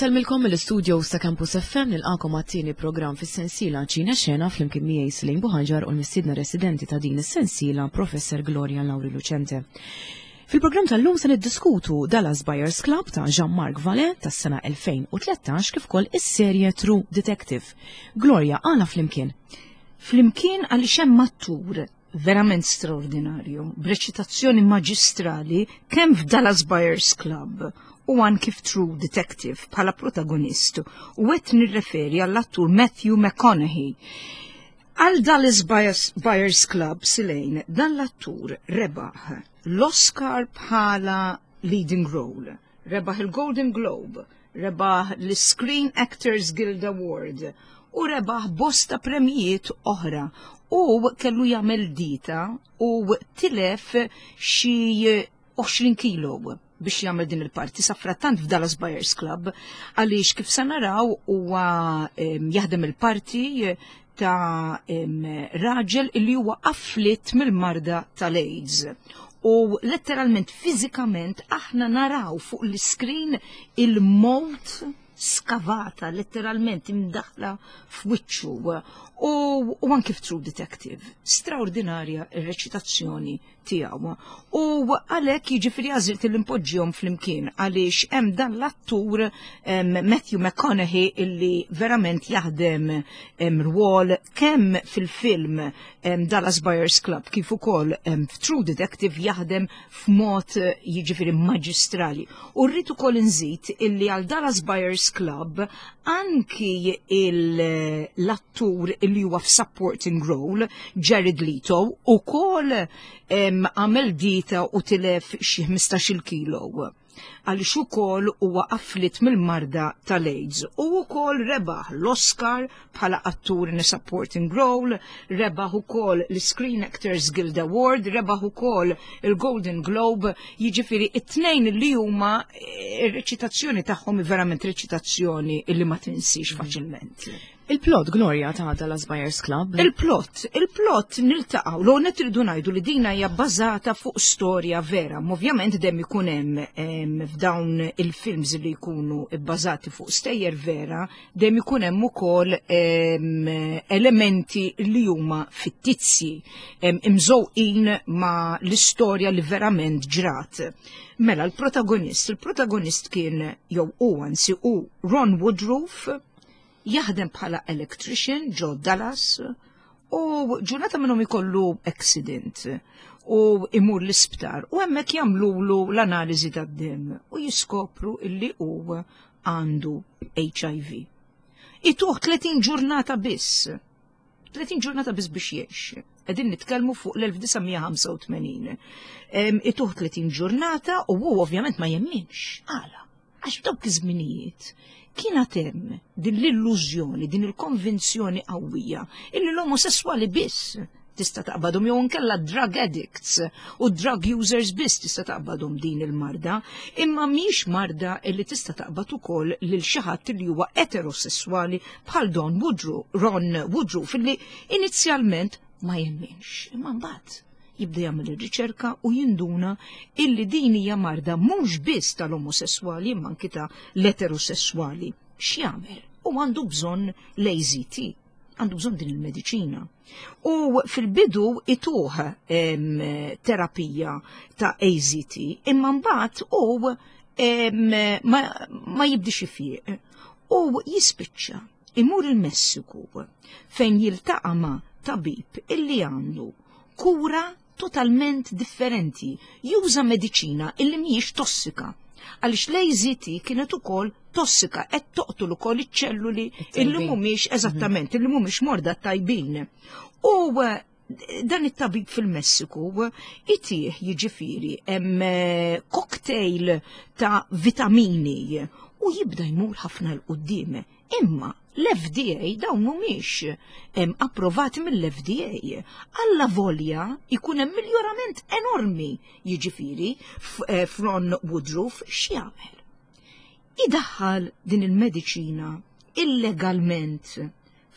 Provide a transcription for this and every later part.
Insellmilkom mill-istudios ta' Campus FM nilqakom għat-tieni programm fis-sensiela Ċina Xena flimkien miegħi Slim Buħanġar u l-mistiedna residenti ta' din is-sensiela Professor Gloria Lauri Lucente. Fil-programm tal-lum se niddiskutu Dallas Buyers Club ta' Jean-Marc Vallée tas-sena 2013 kif ukoll is-serje True Detective. Gloria, għala flimkien? Flimkien għaliex hemm attur verament straordinarju, b'reċitazzjoni maġistrali kemm f'Dallas Buyers Club u anki f'True Detective bħala protagonist u qed nirreferi għall-attur Matthew McConaughey. Għal Dallas Buyers Club Silejn dan l-attur rebaħ l-Oscar bħala leading role, rebaħ il-Golden Globe, rebaħ l-Screen Actors Guild Award u rebaħ bosta premijiet oħra u kellu jagħmel dita u tilef xi 20 kilo biex jagħmel din il-parti safrattant f'Dallas Buyers Club għaliex kif se naraw huwa jaħdem il-parti ta' raġel li huwa afflitt mill-marda tal-AIDS. U letteralment fiżikament aħna naraw fuq l-iskrin il-mowt skavata letteralment imdaħla f'wiċċu u, u anki f'True Detective. Straordinarja ir-reċitazzjoni tiegħu. U għalhekk jiġifieri għażilt li npoġġihom flimkien għaliex hemm dan l-attur Matthew McConaughey illi verament jaħdem rwol kemm fil-film Dallas Buyers Club kif ukoll f'True Detective jaħdem f'mod jiġifieri maġistrali. U rrid ukoll inżid illi għal Dallas Buyers Club anki l-attur illi huwa f'supporting role, Jared Leto, ukoll għamel dita u tilef xi 15-il kilo għaliex ukoll huwa afflitt mill-marda tal-AIDS u wkoll rebaħ l-Oscar bħala attur in a supporting role, rebaħ ukoll l-Screen Actors Guild Award, rebaħ ukoll il-Golden Globe, jiġifieri it-tnejn li huma eh, ir-reċitazzjoni tagħhom verament reċitazzjoni li ma tinsix mhm. faċilment. Il-plot, Gloria, ta' Dallas Buyers Club. Il-plot, il-plot niltaqgħu, l net irridu ngħidu li dina hija bbażata fuq storja vera. Ovvjament dem ikun hemm f'dawn il-films li jkunu bbażati fuq stejjer vera, dejjem ikun hemm ukoll elementi li huma fittizji, imżewqin ma' l-istorja li verament ġrat. Mela l-protagonist, il-protagonist kien jew hu anzi hu Ron Woodroof, jaħdem bħala electrician ġo Dallas u ġurnata minnhom ikollu accident u imur l-isptar u hemmhekk jagħmlulu l-analiżi tad-demm u jiskopru illi hu għandu HIV. Ituh 30 ġurnata biss. 30 ġurnata biss biex jgħix. Qegħdin nitkellmu fuq l-1985. Ituh 30 ġurnata u hu ovvjament ma jemminx. Għala? Għax f'dawk iż-żminijiet kien hemm din l-illużjoni, din il-konvinzjoni qawwija illi l-omosessuali biss tista' taqbadhom jew inkella drug addicts u drug users biss tista' taqbadhom din il-marda, imma mhix marda li tista' taqbad ukoll lil xi ħadd li huwa eterosessuali bħal Don Woodrow, Ron Woodrow filli inizjalment ma jemminx, imma mbagħad jibda jagħmel ir-riċerka u jinduna illi din hija marda mhux biss tal-omosessuali imma anki ta' l-eterosessuali. X'jagħmel? U għandu bżonn l-AZT, għandu bżonn din il-mediċina. U fil-bidu ituh terapija ta' AZT, imma mbagħad u ma, ma jibdix ifieq u jispiċċa imur il-Messiku fejn jiltaqa' ma' tabib illi għandu kura totalment differenti, juża mediċina illi mhijiex tossika. Għaliex l-AZT kienet ukoll tossika qed toqtol ukoll iċ-ċelluli illi mhumiex mhm. eżattament illi mhumiex morda tajbin. U eh, dan it-tabib fil-Messiku itih jiġifieri hemm eh, cocktail ta' vitamini u jibda jmur ħafna l-qudiem. Imma l-FDA dawn mhumiex approvati mill-FDA. Alla volja jkun hemm miljorament enormi jiġifieri eh, f'Ron Woodruff x'jagħmel. Idaħħal din il-mediċina illegalment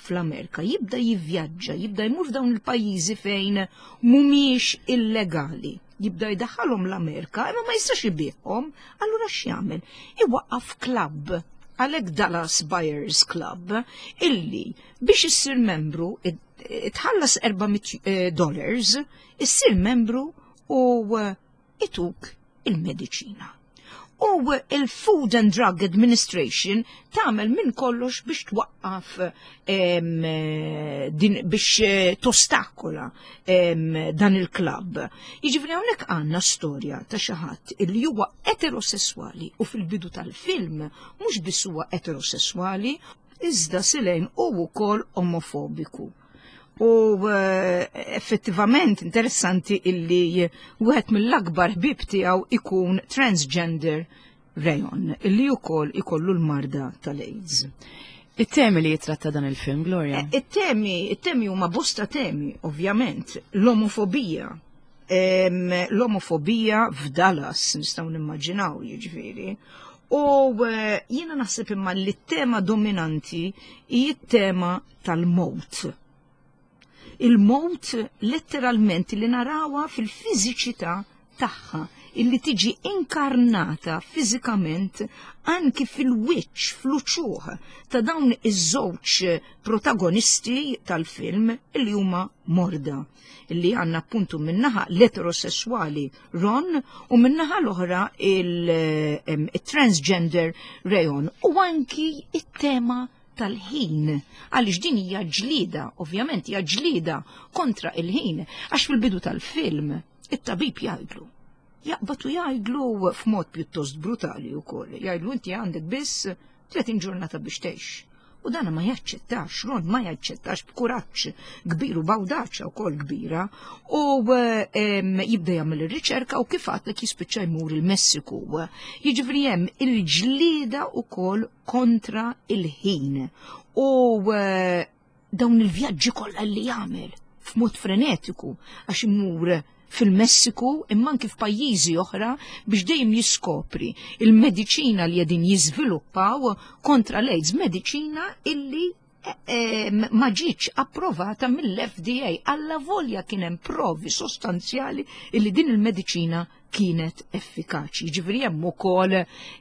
fl-Amerika, jibda jivvjaġġa, jibda jmur f'dawn il-pajjiżi fejn mhumiex illegali. Jibda jdaħħalhom l-Amerika, imma ma jistax ibigħhom, allura x'jagħmel? Iwaqqaf klabb. Għalhekk Dallas Buyers Club illi biex issir membru tħallas 400 eh, dollars, issir membru u eh, ituk il-mediċina. U il-Food and Drug Administration tagħmel minn kollox biex twaqqaf din biex eh, tostakola dan il-klabb. Jiġifieri hawnhekk għandna storja ta' xi ħadd illi huwa eterosesswali u fil-bidu tal-film mhux biss huwa eterosesswali, iżda Silejn hu wkoll omofobiku. U eh, effettivament interessanti illi wieħed mill-akbar ħbieb tiegħu ikun transgender Rayon, illi wkoll ikollu l-marda tal-AIDS. It-temi li jitratta dan il-film, Gloria? Eh, it-temi, it-temi huma bosta temi, ovvjament. L-omofobija. L-omofobija f'Dallas, nistgħu nimmaġinaw, jiġifieri. U eh, jiena naħseb imma li t-tema dominanti hi t-tema tal-mowt. Il-mowt letteralment li narawha fil-fiżiċità tagħha illi tiġi inkarnata fiżikament anki fil-wiċċ, fl-uċuħ ta' dawn iż-żewġ protagonisti tal-film illi huma morda, illi għandna appuntu minnaħa l-eterosessuali Ron u minnaħa l-oħra il-transgender Rayon u anki it-tema tal-ħin, għaliex din hija ġlieda, ovvjament hija ġlieda kontra il-ħin, għax fil-bidu tal-film it-tabib jgħidlu. Jaqbad u jgħidlu f'mod pjuttost brutali wkoll, jgħidlu inti għandek biss 30 ġurnata biex tgħix. U dana ma jaċċettax, Ron ma jaċċettax b'kuraġġ kbir u b'awdaċja wkoll kbira u jibda jagħmel ir-riċerka u kif għadlek jispiċċa jmur il-Messiku. Jiġifieri hemm il-ġlieda wkoll kontra il-ħin u eh, dawn il-vjaġġi kollha li jagħmel f'mod frenetiku għax imur fil-Messiku imma anki f'pajjiżi oħra biex dejjem jiskopri il-mediċina li qegħdin jiżviluppaw kontra l-AIDS, mediċina illi eh, eh, ma ġietx approvata mill-FDA alla volja kien hemm provi sostanzjali illi din il-mediċina kienet effikaċi. Ġifieri hemm ukoll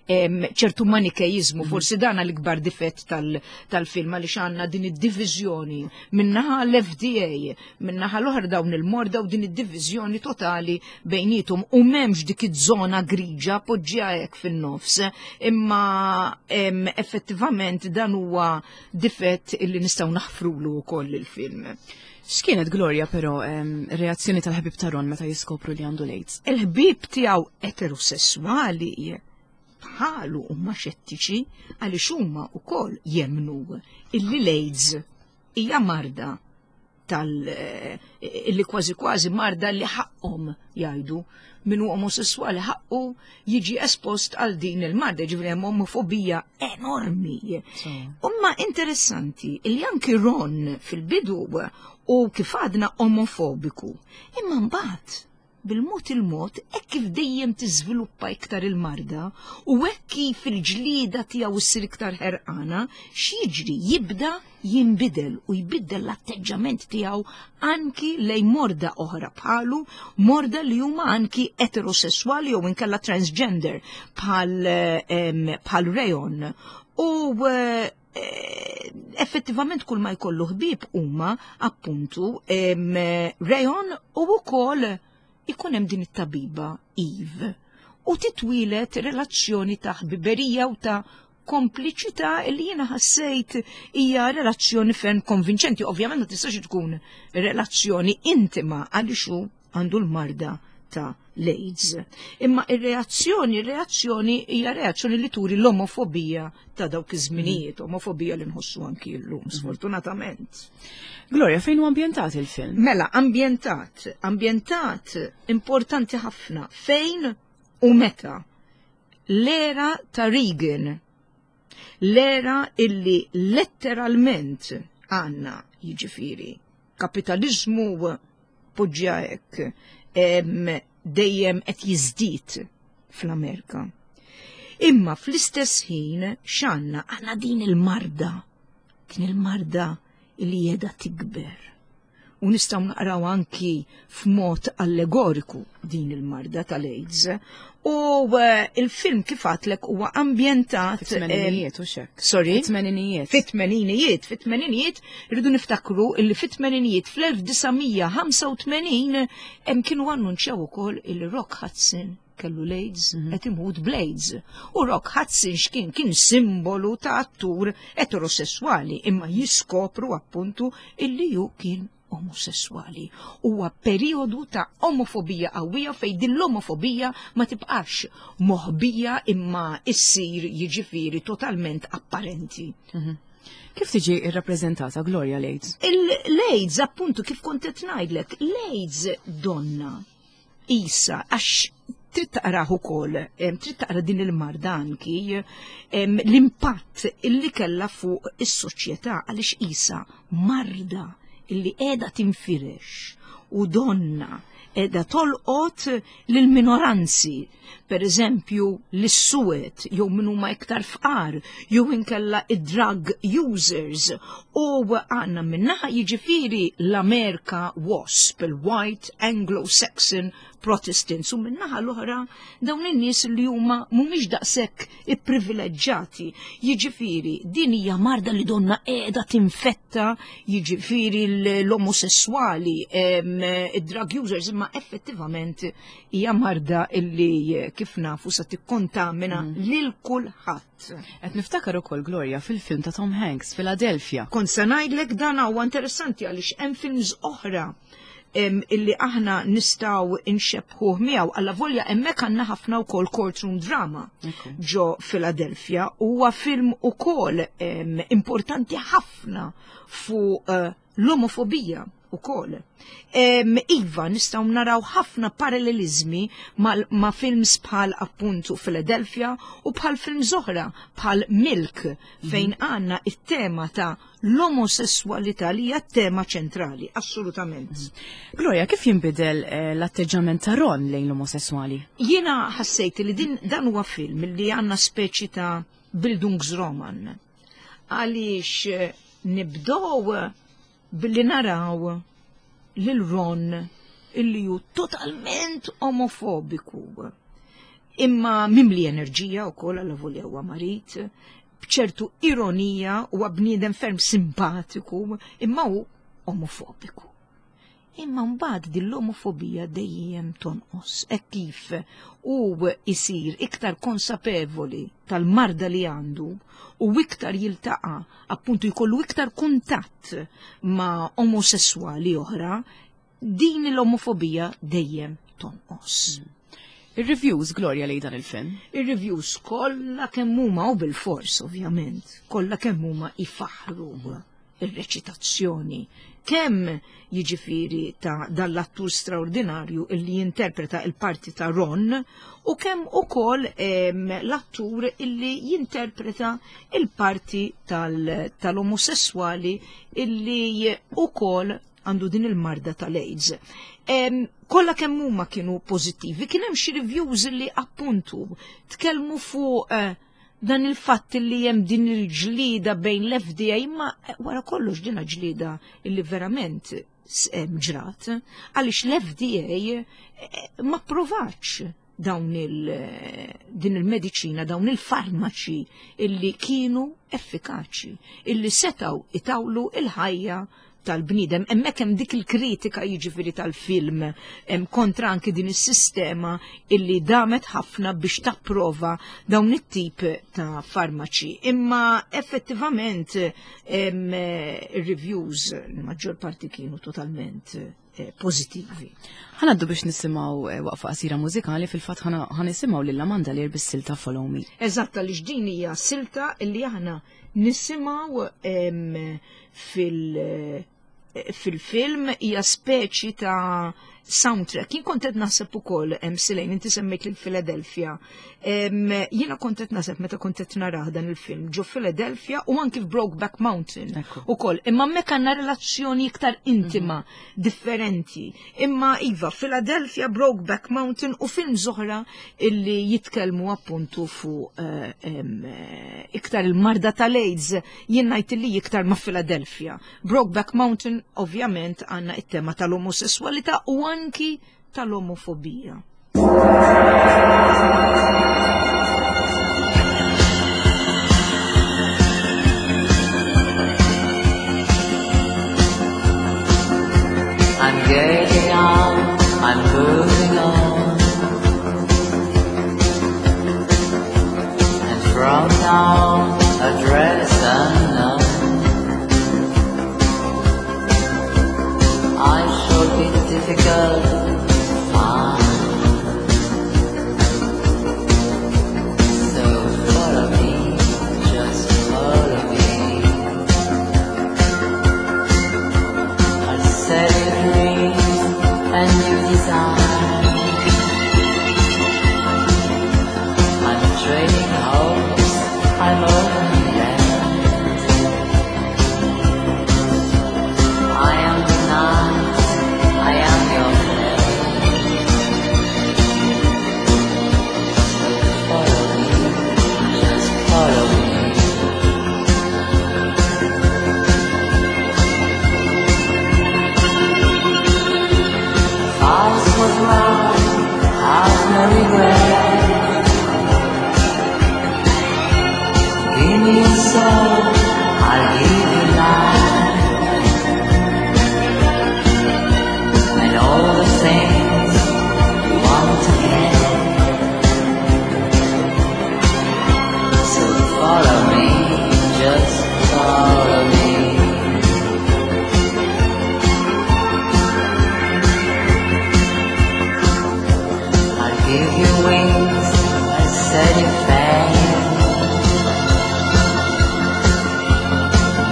ċertu manikejizmu, mhm. forsi dan l-ikbar difett tal-film għaliex għandna din id-diviżjoni minnaħa l-FDA, minnaħa l-oħra dawn il-morda u din id-diviżjoni totali bejnietom u m'hemmx dik iż-żona griġa poġġija hekk fin-nofs, imma effettivament dan huwa difett illi nistgħu naħfrulu wkoll il-film. X'kienet Gloria però reazzjoni tal-ħbib ta' Ron meta jiskopru li għandu l-AIDS? Il-ħbib tiegħu eterosessuali bħalu huma xettiċi għaliex huma wkoll jemmnu illi l-AIDS hija marda tal eh, illi kważi kważi marda li ħaqqhom jgħidu min hu omosessuali ħaqqu jiġi espost għal din il-marda, ġifieri hemm omofobija enormi. Umma interessanti li anki Ron fil-bidu u kif għadna omofobiku, imma mbagħad bil-mod il-mod hekk kif dejjem tiżviluppa iktar il-marda u hekk kif il-ġlieda tiegħu ssir iktar ħerqana, x'jiġri jibda jinbidel u jbiddel l-atteġġament tiegħu anki lejn morda oħra bħalu, morda li huma anki eterosessuali jew inkella transgender bħal bħal Rayon. U eh, effettivament kull ma jkollu ħbieb huma appuntu Rayon u wkoll ikun hemm din it-tabiba Eve u titwilet relazzjoni ta' ħbiberija u ta' kompliċità li jiena ħassejt hija relazzjoni ferm konvinċenti. Ovvjament ma tistax tkun relazzjoni intima għaliex hu għandu l-marda ta' l-AIDS. Imma ir-reazzjoni, ir-reazzjoni hija reazzjoni li turi l-omofobija ta' dawk iż-żminijiet, omofobija li nħossu anki llum, mhm. sfortunatament. Gloria, fejn hu ambjentat il-film? Mela, ambjentat, ambjentat importanti ħafna, fejn u meta. L-era ta' Reagan, l-era illi letteralment għanna jiġifieri kapitaliżmu poġġja hekk dejjem qed jiżdied fl-Amerika. Imma fl-istess ħin x'għandna għandna din il-marda, din il-marda li jeda tikber. U nistgħu naqraw anki f'mod allegoriku din il-marda tal-AIDS. U il-film kif għatlek huwa ambjentat Fit-tmeninijiet u xek. Sorry? Fit-tmeninijiet. Fit-tmeninijiet, fit-tmeninijiet, rridu niftakru illi fit-tmeninijiet fl-1985 hemm kienu annunċjaw ukoll il-Rock Hudson kellu l-AIDS, qed imut bl-AIDS. U Rock Hudson x'kien kien simbolu ta' attur eterosessuali, imma jiskopru appuntu illi ju kien omosessuali. Huwa periodu ta' omofobija qawwija fejn din l-omofobija ma tibqax moħbija imma issir jiġifieri totalment apparenti. Kif tiġi rrappreżentata Gloria l-AIDS? Il-AIDS, appuntu, kif kont qed ngħidlek, l-AIDS donna isa, għax trid taqrah ukoll, trid taqra din il-marda anki, l-impatt illi kellha fuq is-soċjetà, għaliex isa marda illi qiegħda tinfirex u donna qiegħda tolqot lill-minoranzi, per eżempju l-suwed jew min huma iktar fqar, jew inkella id-drug users. U għandna minnaħa jiġifieri l-Amerika WASP, il-White Anglo-Saxon Protestants, u minnaħa l-oħra dawn in-nies li huma mhumiex daqshekk ipprivileġġjati. Jiġifieri din hija marda li donna qiegħda tinfetta, jiġifieri l-omosessuali, id-drug users, imma effettivament hija marda illi kif nafu sa tikkontamina lil kulħadd. Qed niftakar ukoll Gloria fil-film ta' Tom Hanks, Philadelphia. Kont se ngħidlek dan huwa interessanti għaliex hemm films oħra illi aħna nistgħu inxebħuh miegħu, alla volja hemmhekk għandna ħafna wkoll courtroom drama ġo Philadelphia. Huwa film ukoll importanti ħafna fuq l-omofobija ukoll. Iva, nistgħu naraw ħafna parallelizmi ma' films bħal appuntu Philadelphia u bħal films oħra bħal Milk, fejn għandna it-tema ta' l-omosessualità li hija tema ċentrali, assolutament. Gloria, kif jinbidel l-atteġġament ta' Ron lejn l-omosessuali? Jiena ħassejt li dan huwa film li għandna speċi ta' Bildungsroman. Għaliex nibdow billi naraw lil Ron illi hu totalment omofobiku. Imma mimli enerġija u koll għalla volja huwa marit, bċertu ironija u bniedem ferm simpatiku, imma hu omofobiku. Imma mbagħad din l-omofobija dejjem tonqos, hekk kif hu isir iktar konsapevoli tal-marda li għandu u iktar jiltaqa' appuntu jkollu iktar kuntatt ma' omosessuali oħra, din l-omofobija dejjem tonqos. Ir-reviews, Gloria, lejn dan il-film? Ir-reviews kollha kemm huma, u bil-fors ovvjament, kollha kemm huma ifaħru ir-reċitazzjoni. Kemm jiġifieri ta' dal-attur straordinarju illi jinterpreta il-parti ta' Ron, u kemm ukoll l-attur illi jinterpreta il-parti tal-omosessuali illi ukoll għandu din il-marda tal-AIDS. Kollha kemm huma kienu pożittivi, kien hemm xi reviews li appuntu tkellmu fuq dan il-fatt li hemm din il-ġlida bejn l-FDA, imma wara kollox din ġlida illi verament ġrat, għaliex l-FDA ma provax dawn din il-mediċina, dawn il-farmaċi illi kienu effikaċi, illi setaw itawlu il-ħajja tal-bniedem. Hemmhekk hemm dik il-kritika jiġifieri tal-film hemm kontra anki din is-sistema illi damet ħafna biex tapprova dawn it-tip ta' farmaċi. Imma effettivament ir-reviews il-maġġor parti kienu totalment pożittivi. Ħanaddu biex nisimgħu waqfa qasira mużikali, fil-fatt ħanisimgħu lil Amanda Lear bis-silta Follow Me. Eżatt, għaliex din hija silta illi aħna nisimgħu fil-film, hija speċi ta' Soundtrack. Jien kont qed naħseb ukoll hemm Silejn, inti semmejt lil Philadelphia. Jiena kont qed naħseb meta kont qed narah dan il-film ġo Philadelphia u anki f'Brokeback Mountain ukoll. Imma hemmhekk għandna relazzjoni iktar intima, mhm. differenti. Imma iva, Philadelphia, Brokeback Mountain u film oħra illi jitkellmu appuntu fuq eh, eh, iktar il-marda tal-AIDS, jien ngħid illi iktar ma' Philadelphia. Brokeback Mountain ovvjament għandna it-tema tal-omosessualità u anki tal-omofobija. I'm getting out, I'm moving on. And from now, address unknown. I shall be difficult to find. So follow me, just follow me. I'll sell you dreams and new design. I'm trading hopes, I'm open land. I am the night, I am your flame. So follow me, just follow me. Eyes was mine, I've no regret. Give me your soul, I'll give you life. And all the things you want to get. So follow me, just follow me. I'll give you wings, I'll set you free.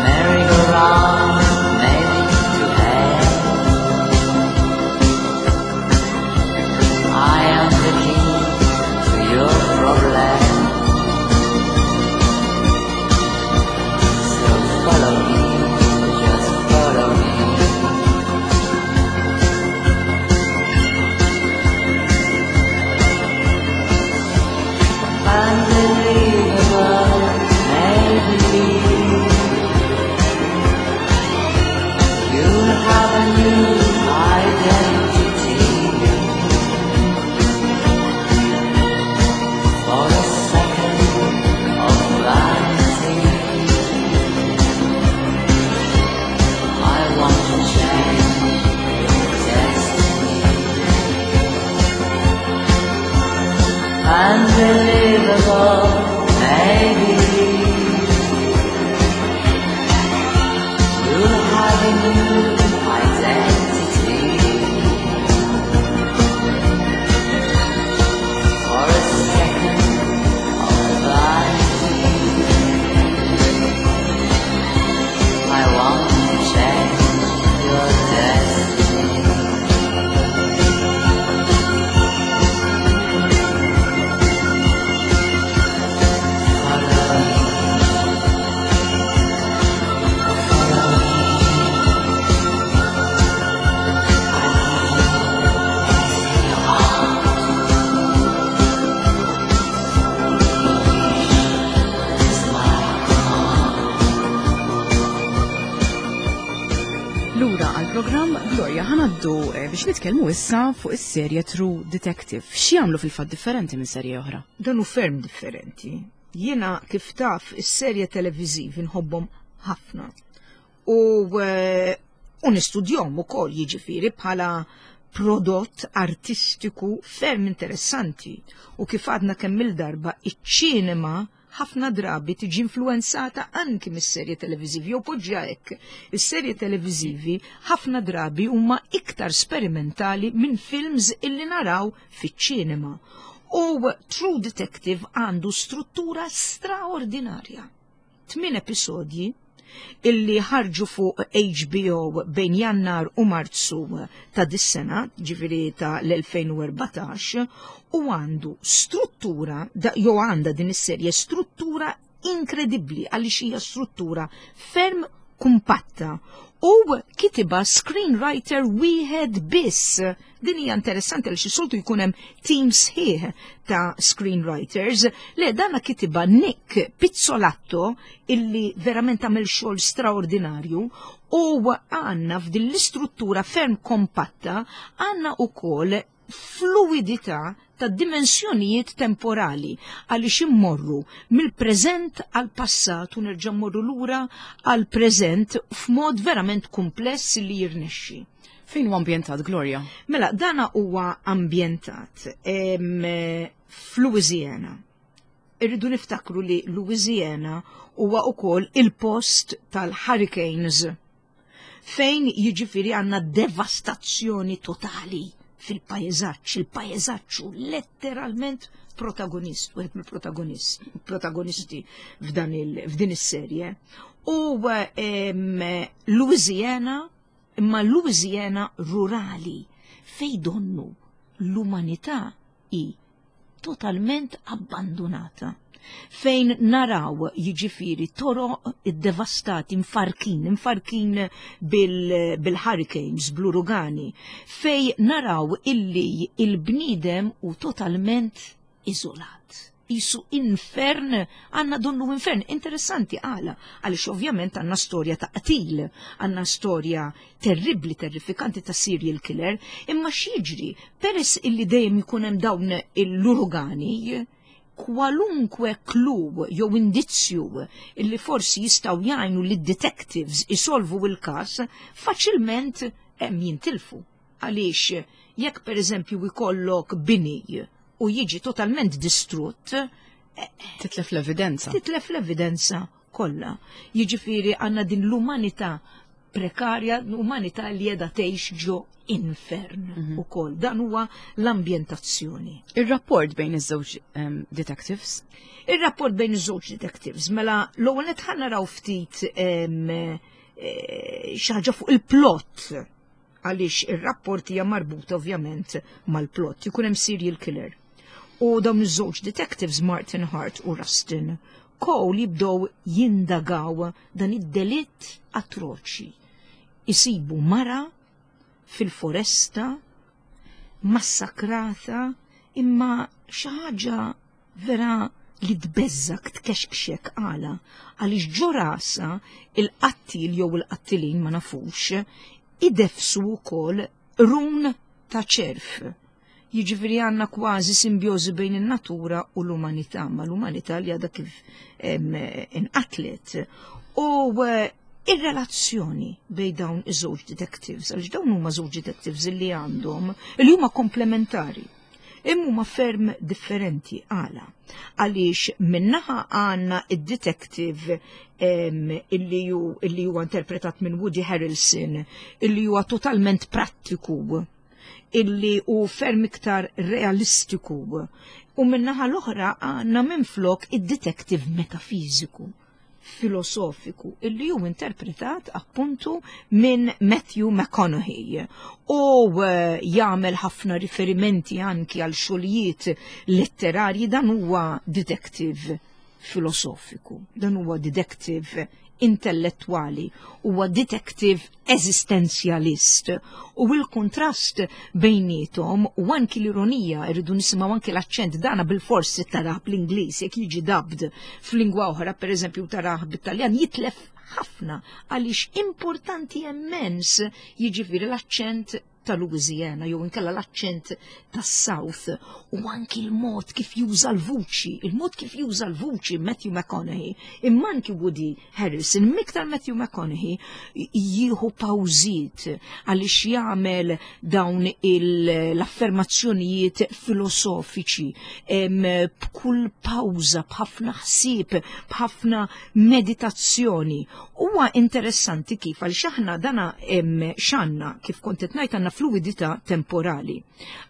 Merry-go-round, maybe to hell. I am the key to your problem. So follow me, just follow me. Unbelievable, maybe you'll have a new identity. For a second of vanity, I want to change your destiny. Unbelievable, maybe you'll have a new identity. For a second of vanity, I want to change your destiny. Follow me. Follow me. I'll give you anything you want. Your wish is my command. Lura għal-programm Gloria ħa ngħaddu biex nitkellmu issa fuq is-serje True Detective. X'jagħmlu fil-fatt differenti minn serje oħra? Dan hu ferm differenti. Jiena kif taf is-serje televiżivi nħobbhom ħafna. U nistudjahom ukoll jiġifieri bħala prodott artistiku ferm interessanti. U kif għadna kemm il-darba iċ-ċinema ħafna drabi tiġi influenzata anki mis-serje televiżivi, jew poġġa hekk. Is-serje televiżivi ħafna drabi huma iktar sperimentali minn films illi naraw fiċ-ċinema. U True Detective għandu struttura straordinarja. 8 episodji. illi ħarġu fuq HBO bejn Jannar u Marzu ta' dis-sena, ġifieri ta' l-2014, u għandu struttura, jew għandha din is-serje struttura inkredibbli għaliex hija struttura ferm kumpatta u kitiba screenwriter wieħed biss. Din hija interessanti għaliex is-soltu jkun hemm team sħiħ ta' screenwriters. Le dana kitiba Nick Pizzolatto illi verament għamel xogħol straordinarju u għandna f'din l-istruttura ferm kompatta għandna ukoll fluidità ta' dimensjonijiet temporali għaliex immorru mill-preżent għal passat u nerġa' mmorru lura għal preżent f'mod verament kumpless li jirnexxi. Fejn huwa ambjentat Gloria? Mela, dana huwa ambjentat f'Louisiana. Irridu niftakru li Louisiana huwa ukoll il-post tal-hurricanes fejn jiġifieri għandna devastazzjoni totali fil-pajjeżaġġ, il-pajjeżaġġ hu letteralment protagonist, wieħed mill-protagonist, protagonisti f'din is-serje. U Louisiana, imma Louisiana rurali, fej donnu l-umanità hi totalment abbandunata fejn naraw jiġifieri toroq iddevastati mfarkin, mfarkin bil-hurricanes, bil bl-urugani, fej naraw illi il-bniedem u totalment iżolat. Isu infern, għanna donnu infern. Interessanti għala, għalix ovvjament għanna storja ta' qtil, għanna storja terribli, terrifikanti ta' serial killer, imma x'jiġri peress illi dejjem ikun hemm dawn l-urugani, kwalunkwe clue jew indizzju illi forsi jistgħu jgħinu lid detectives isolvu il-każ faċilment hemm jintilfu. Għaliex jekk pereżempju jkollok bini u jiġi totalment distrutt, Titlef l-evidenza. Titlef l-evidenza kollha. Jiġifieri għandna din l-umanità prekarja, l-umanità li qiegħda tgħix ġo infern ukoll. Dan huwa l-ambjentazzjoni. Ir-rapport bejn iż-żewġ detectives? Ir-rapport bejn iż-żewġ detectives, mela l-ewwel qed ħa naraw ftit xi ħaġa fuq il-plot għaliex ir-rapport hija marbuta ovvjament mal-plot. Jkun hemm serial killer. U dawn iż-żewġ detectives Martin Hart u Rustin Cole jibdew jindagaw dan id-delitt atroċi. Isibu mara fil-foresta massakrata imma xi ħaġa vera li tbeżżak tkexkxek għala għaliex ġo rasha il-qattil jew il-qattilin ma nafux idefsu wkoll run ta' ċerf. Jiġifieri għandna kważi simbjożi bejn in-natura u l-umanità, ma l-umanità li għadha kif inqatlet. U ir-relazzjoni bejn dawn iż-żewġ detectives, għaliex dawn huma żewġ detectives li għandhom li huma komplementari. Imma huma ferm differenti għala. Għaliex minnaħa għandna id-detective illi huwa interpretat minn Woody Harrelson, illi huwa totalment prattiku, illi hu ferm iktar realistiku. U minnaħa l-oħra għandna minflok id-detective metafiżiku, filosofiku, illi hu interpretat appuntu minn Matthew McConaughey u jagħmel ħafna riferimenti anki għal xogħlijiet letterarji. Dan huwa detective filosofiku, dan huwa detective intellettwali, huwa detective eżistenzjalist. U il-kontrast bejnietom u anki l-ironija, irridu nisimgħu anki l-aċċent dana bil-forsi tarah bl-Ingliż, jekk jiġi dubbed f'lingwa oħra, pereżempju tarah bit-Taljan, jitlef ħafna għaliex importanti immens jiġifieri l-aċċent ta' Louisiana jew inkella l-aċċent tas-South u anki l-mod kif juża l-vuċi, il-mod kif juża l-vuċi Matthew McConaughey, imma anki Woody Harrelson, miktar Matthew McConaughey jieħu pawżiet għaliex jagħmel dawn l-affermazzjonijiet filosofiċi b'kull pawża, b'ħafna ħsieb, b'ħafna meditazzjoni. Huwa interessanti kif għaliex aħna dana x'għandna kif kont qed ngħid għandna fluidità temporali.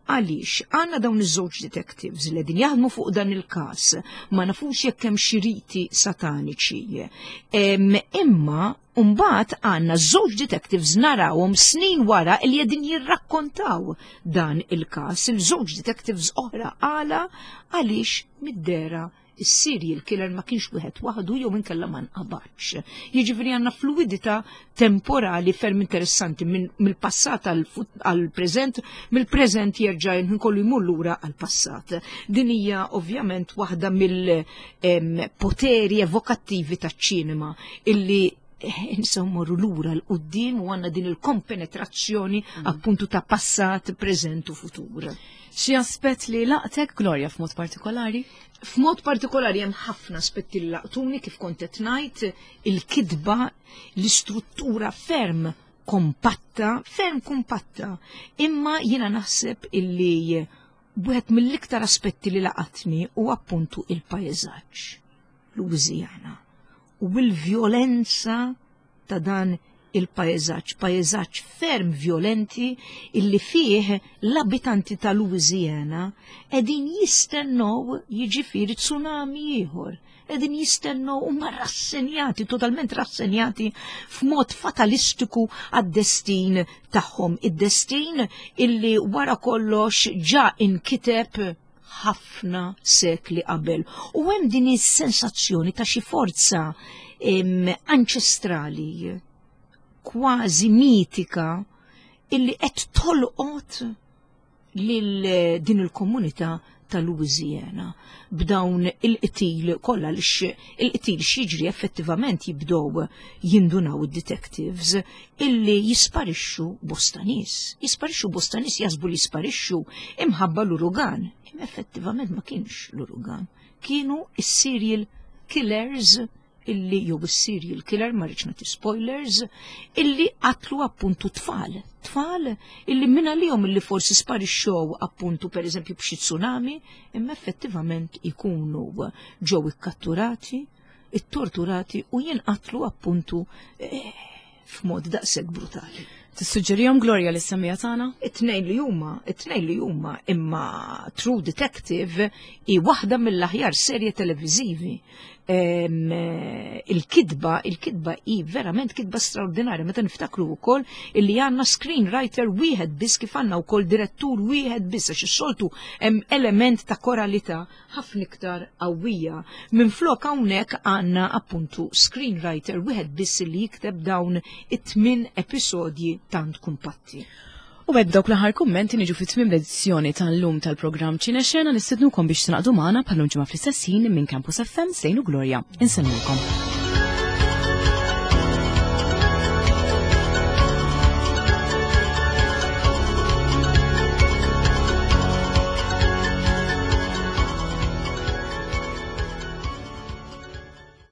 Għaliex għandna dawn iż-żewġ detectives li qegħdin jaħdmu fuq dan il-każ, ma nafux jekk hemm xi riti sataniċi. Imma mbagħad għandna żewġ detectives narawhom snin wara li qegħdin jirrakkontaw dan il-każ. Il-żewġ detectives oħra għala għaliex mid-dera is-serial killer ma kienx wieħed waħdu jew inkella ma nqabadx. Jiġifieri għandna fluidità temporali ferm interessanti mill-passat għall-preżent, mill-preżent jerġa' nkollu jmur lura għall-passat. Din hija ovvjament waħda mill-poteri evokattivi taċ-ċinema illi nistgħu morru lura l-qudiem u għandna din il-kompenetrazzjoni appuntu ta' passat, preżent u futur. Xi aspett li laqtek, Gloria, f'mod partikolari? F'mod partikolari hemm ħafna aspetti li laqtuni kif kont qed ngħid, il-kitba, l-istruttura ferm kompatta, ferm kompatta. Imma jiena naħseb illi wieħed mill-iktar aspetti li laqatni hu appuntu il-pajjeżaġġ, Louisiana, u l-vjolenza ta' dan il-pajjeżaġġ, pajjeżaġġ ferm vjolenti illi fih l-abitanti ta' Louisiana qegħdin jistennew jiġifieri tsunami ieħor, qegħdin jistennew huma rassenjati, totalment rassenjati f'mod fatalistiku għad-destin tagħhom, id-destin illi wara kollox ġa inkiteb ħafna sekli qabel. U hemm din is-sensazzjoni ta' xi forza anċestrali, kważi mitika, illi qed tolqot lil din il-komunità ta' Louisiana b'dawn il-qtil kollha li il-qtil x'jiġri effettivament jibdew jindunaw id-detectives illi jisparixxu bosta nies. Jisparixxu bosta nies jaħsbu li jisparixxu imħabba l-urugan. Imma effettivament ma kienx l-urugan. Kienu is-serial killers illi jew is-serial killer, ma rridx nagħti spoilers, illi qatlu appuntu tfal. Tfal illi minn għalihom illi forsi sparixxew appuntu pereżempju b'xi tsunami, imma effettivament ikunu ġew ikkatturati, ittorturati u jinqatlu appuntu f'mod daqshekk brutali. Tissuġġerihom Gloria li semmija tagħna? It-tnejn li huma, it-tnejn li huma, imma True Detective hi waħda mill-aħjar serje televiżivi. Il-kitba, il-kitba hi verament kitba straordinarja meta niftakru wkoll illi għandna screenwriter wieħed biss kif għandna wkoll direttur wieħed biss għax is-soltu hemm element ta' koralità ħafna iktar qawwija. Minflok hawnhekk għandna appuntu screenwriter wieħed biss li jikteb dawn it-tmien episodji tant kumpatti. U b'hekk dawk l-aħħar kummenti niġu fi tmiem l-edizzjoni tal-lum tal-programm Ċinexena nistednukom biex tingħaqdu magħna bħal ġimgħa fl-istess ħin minn Campus FM Sejnu Gloria. Insellmulkom.